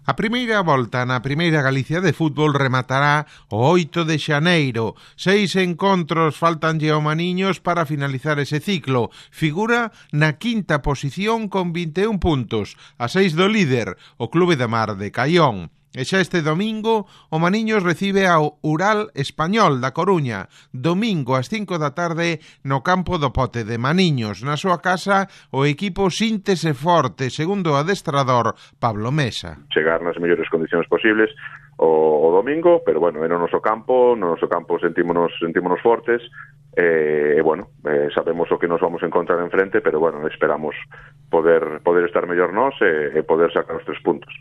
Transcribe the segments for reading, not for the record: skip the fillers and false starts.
A primeira volta na Primeira Galicia de fútbol rematará o 8 de xaneiro. 6 encontros faltanlle ao Maniños para finalizar ese ciclo. Figura na quinta posición con 21 puntos, a 6 do líder, o Clube de Mar de Caión. E xa este domingo, o Maniños recibe ao Ural Español da Coruña, domingo ás 5 da tarde no campo do Pote de Maniños. Na súa casa, o equipo síntese forte, segundo o adestrador Pablo Mesa. Chegar nas mellores condicións posibles o domingo, pero bueno, no noso campo sentímonos fortes, sabemos o que nos vamos a encontrar enfrente, pero bueno, esperamos poder estar mellor nós e poder sacar os 3 puntos.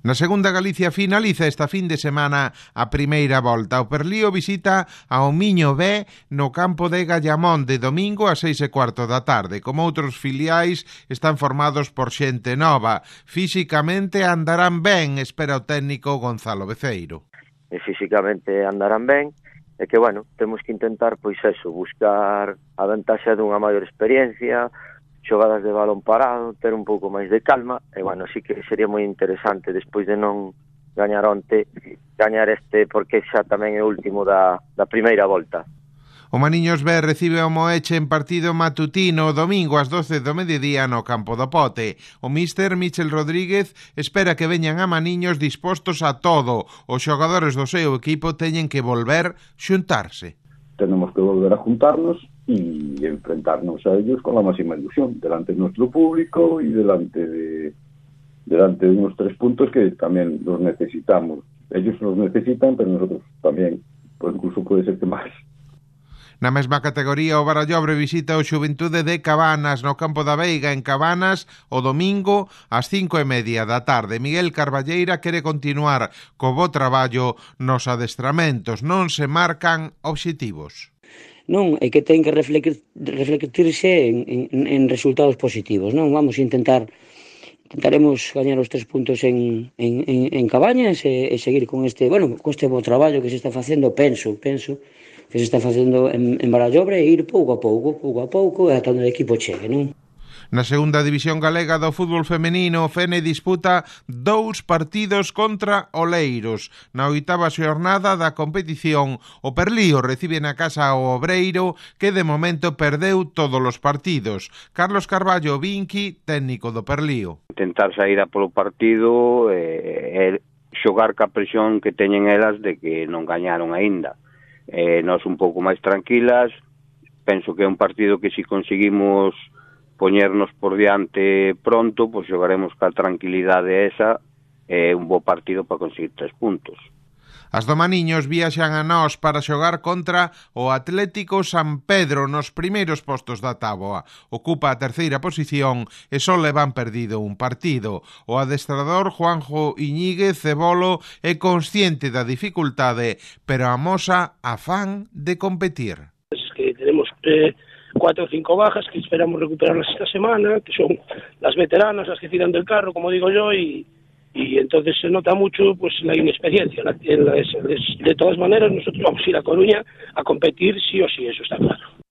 Na segunda Galicia finaliza esta fin de semana a primeira volta. O Perlío visita ao Miño B no campo de Gallamón de domingo a 6:15 da tarde. Como outros filiais, están formados por xente nova. Físicamente andarán ben, espera o técnico Gonzalo Beceiro. Físicamente andarán ben, e que, bueno, temos que intentar, pois eso, buscar a ventaxa dunha maior experiencia, xogadas de balón parado, ter un pouco máis de calma, e, bueno, sí que sería moi interesante, despois de non gañar onte, gañar este, porque xa tamén é o último da primeira volta. O Maniños B recibe o Moeche en partido matutino o domingo ás 12 do mediodía no campo do Pote. O míster Michel Rodríguez espera que veñan a Maniños dispostos a todo. Os xogadores do seu equipo teñen que volver xuntarse. Tenemos que volver a juntarnos y enfrentarnos a ellos con la máxima ilusión, delante de nuestro público y delante de unos 3 puntos que también los necesitamos. Ellos los necesitan, pero nosotros también, pues incluso puede ser que más. Na mesma categoría, o Barallobre visita o Xuventude de Cabanas no campo da Veiga en Cabanas o domingo ás 5:30 da tarde. Miguel Carballeira quere continuar co bo traballo nos adestramentos, non se marcan obxectivos. Non, é que ten que reflectirse en resultados positivos, non? Intentaremos gañar os 3 puntos en Cabañas e seguir con este bo traballo que se está facendo, penso que se está facendo en Barallobre, e ir pouco a pouco, ata onde o equipo chegue, non? Na segunda división galega do fútbol femenino, o Fene disputa 2 partidos contra Oleiros. Na 8ª xornada da competición, o Perlío recibe na casa o Obreiro, que de momento perdeu todos os partidos. Carlos Carballo Vinqui, técnico do Perlío. Intentar sair a polo partido e xogar ca presión que teñen elas de que non gañaron aínda. Nós un pouco máis tranquilas, penso que é un partido que si conseguimos poñernos por diante pronto, pois xogaremos ca tranquilidade esa, un bo partido para conseguir 3 puntos. As do Maniños viaxan a nós para xogar contra o Atlético San Pedro nos primeiros postos da táboa. Ocupa a 3ª posición e só levan perdido un partido. O adestrador Juanjo Iñiguez Cebolo é consciente da dificultade, pero amosa afán de competir. Es que tenemos 4 o 5 bajas que esperamos recuperarlas esta semana, que son las veteranas, las que tiran del carro, como digo yo, y entonces se nota mucho pues la inexperiencia. De todas maneras, nosotros vamos a ir a Coruña a competir sí o sí, eso está claro.